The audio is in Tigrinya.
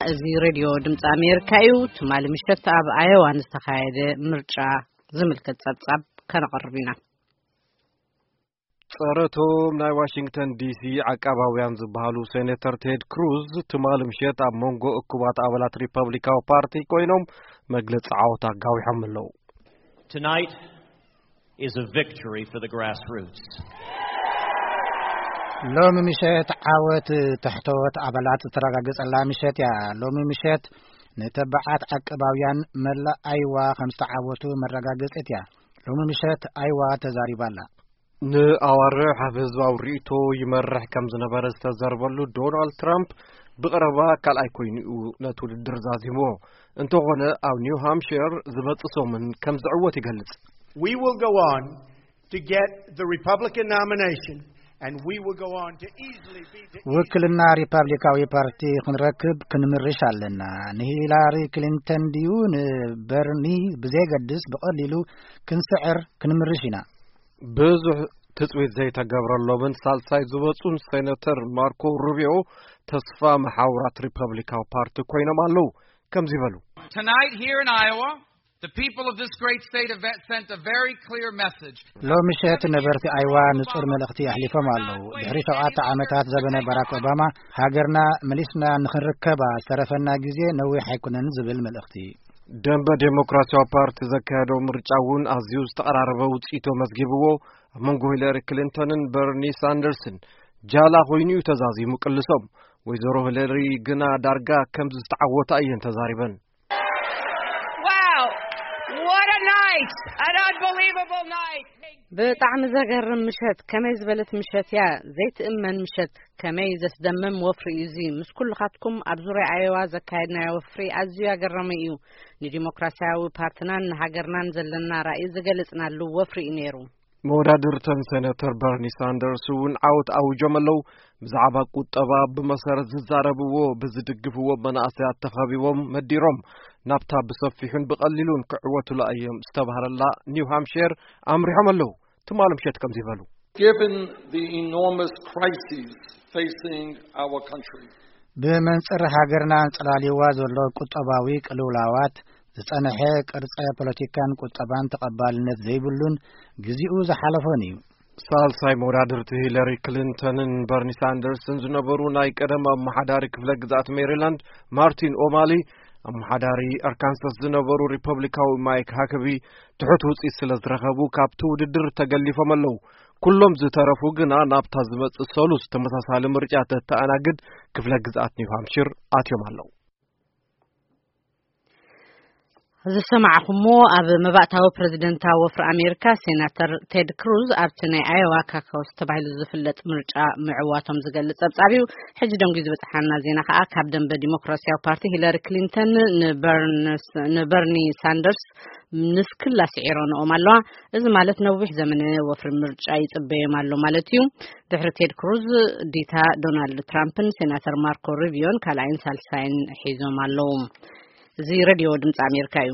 እዚ ሬድዮ ድምፂ ኣሜሪካ እዩ። ትማሊ ምሸት ኣብ ኣዮዋ ንዝተኻየደ ምርጫ ዝምልከት ጸብጻብ ከነቕርብ ኢና። ጸረቶም ናይ ዋሽንግተን ዲሲ ዓቃባውያን ዝበሃሉ ሴኔተር ቴድ ክሩዝ ትማሊ ምሸት ኣብ መንጎ እኩባት ኣባላት ሪፐብሊካዊ ፓርቲ ኮይኖም መግለጺ ዓወት ኣጋዊሖም ኣለዉ። Tonight is a victory for the grassroots. ሎሚ ምሸት ዓወት ታሕተዎት ኣባላት ዝተረጋገጸላ ምሸት እያ። ሎሚ ምሸት ንተባዓት ዓቀባውያን መላእ ኣይዋ ከም ዝተዓወቱ መረጋገጺት እያ። ሎሚ ምሸት ኣይዋ ተዛሪባ ኣላ። ንኣዋርሕ ኣብ ህዝባዊ ርእይቶ ይመርሕ ከም ዝነበረ ዝተዘርበሉ ዶናልድ ትራምፕ ብቐረባ ካልኣይ ኮይኑ እዩ ነቲ ውድድር ዛዚምዎ። እንተኾነ ኣብ ኒው ሃምሽር ዝመጽእ ሰሙን ከም ዝዕወት ይገልጽ። We will go on to get the Republican nomination and we will go on to easily be the ውክልና ሪፓብሊካዊ ፓርቲ ክንረክብ ክንምርሽ ኣለና። ንሂላሪ ክሊንተን ድዩ ንበርኒ ብዘየገድስ ብቐሊሉ ክንስዕር ክንምርሽ ኢና። ብዙሕ ትጽቢት ዘይተገብረሎምን ሳልሳይ ዝበጹን ሴነተር ማርኮ ሩቢዮ ተስፋ መሓውራት ሪፐብሊካዊ ፓርቲ ኮይኖም ኣለዉ። ከምዚ በሉ። Tonight here in Iowa, the people of this great state have sent a very clear message. ሎሚ ምሸት ነበርቲ ኣይዋ ንጹር መልእኽቲ ኣሕሊፎም ኣለዉ። ድሕሪ ሸውዓተ ዓመታት ዘበነ ባራክ ኦባማ ሃገርና መሊስና ንኽንርከባ ዝተረፈና ግዜ ነዊሕ ኣይኮነን ዝብል መልእኽቲ። ደንበ ዴሞክራሲያዊ ፓርቲ ዘካየዶ ምርጫ እውን ኣዝዩ ዝተቐራረበ ውፅኢት መዝጊብዎ ኣብ መንጎ ሂለሪ ክሊንተንን በርኒ ሳንደርስን ጃላ ኮይኑ እዩ ተዛዚሙ ቅልሶም። ወይዘሮ ሂለሪ ግና ዳርጋ ከም ዝተዓወታ እየን ተዛሪበን። Wow! What a night! An unbelievable night! ብጣዕሚ ዘገርም ምሸት። ከመይ ዝበለት ምሸት እያ። ዘይትእመን ምሸት። ከመይ ዘስደምም ወፍሪ እዩ እዚ። ምስ ኩልኻትኩም ኣብ ዙርያ ኣየዋ ዘካየድናዮ ወፍሪ ኣዝዩ ኣገራሚ እዩ። ንዲሞክራሲያዊ ፓርትናን ንሃገርናን ዘለና ራእይ ዝገለጽናሉ ወፍሪ እዩ ነይሩ። መወዳድርተን ሴነተር በርኒ ሳንደርስ እውን ዓወት ኣውጆም ኣለዉ። ብዛዕባ ቁጠባ ብመሰረት ዝዛረብዎ ብዝድግፍዎ መናእሰያት ተኸቢቦም መዲሮም ናብታ ብሰፊሑን ብቐሊሉን ክዕወቱላ እዮም ዝተባህለላ ኒው ሃምሽር ኣምሪሖም ኣለዉ። ትማሊ ምሸት ከምዚ በሉ። Given the enormous crises facing our country, ብመንጽር ሃገርና ኣንጸላልይዋ ዘሎ ቁጠባዊ ቅልውላዋት ዝጸንሐ ቅርጸ ፖለቲካን ቁጠባን ተቐባልነት ዘይብሉን ግዜኡ ዝሓለፎን እዩ። ሳልሳይ መወዳድርቲ ሂለሪ ክሊንተንን በርኒ ሳንደርስን ዝነበሩ ናይ ቀደም ኣመሓዳሪ ክፍለ ግዝኣት ሜሪላንድ ማርቲን ኦማሊ፣ ኣመሓዳሪ ኣርካንሳስ ዝነበሩ ሪፐብሊካዊ ማይክ ሃከቢ ትሑት ውፅኢት ስለ ዝረኸቡ ካብቲ ውድድር ተገሊፎም ኣለዉ። ኩሎም ዝተረፉ ግና ናብታ ዝመጽእ ሰሉስ ተመሳሳሊ ምርጫ ተተኣናግድ ክፍለ ግዝኣት ኒው ሃምሽር ኣትዮም ኣለዉ። ዝሰማዕኹሞ ኣብ መባእታዊ ፕረዚደንታዊ ወፍሪ ኣሜሪካ ሴናተር ቴድ ክሩዝ ኣብቲ ናይ ኣዮዋ ካካውስ ተባሂሉ ዝፍለጥ ምርጫ ምዕዋቶም ዝገልጽ ጸብጻብ እዩ። ሕጂ ደንጉ ዝበጽሓና ዜና ከኣ ካብ ደንበ ዲሞክራሲያዊ ፓርቲ ሂለሪ ክሊንተን ንበርንስ- ንበርኒ ሳንደርስ ንስክላ ስዒሮንኦም ኣለዋ። እዚ ማለት ነዊሕ ዘመነ ወፍሪ ምርጫ ይጽበዮም ኣሎ ማለት እዩ። ድሕሪ ቴድ ክሩዝ ዲታ ዶናልድ ትራምፕን ሴናተር ማርኮ ሩቢዮን ካልኣይን ሳልሳይን ሒዞም ኣለዉ። እዚ ሬድዮ ድምፂ ኣሜሪካ እዩ።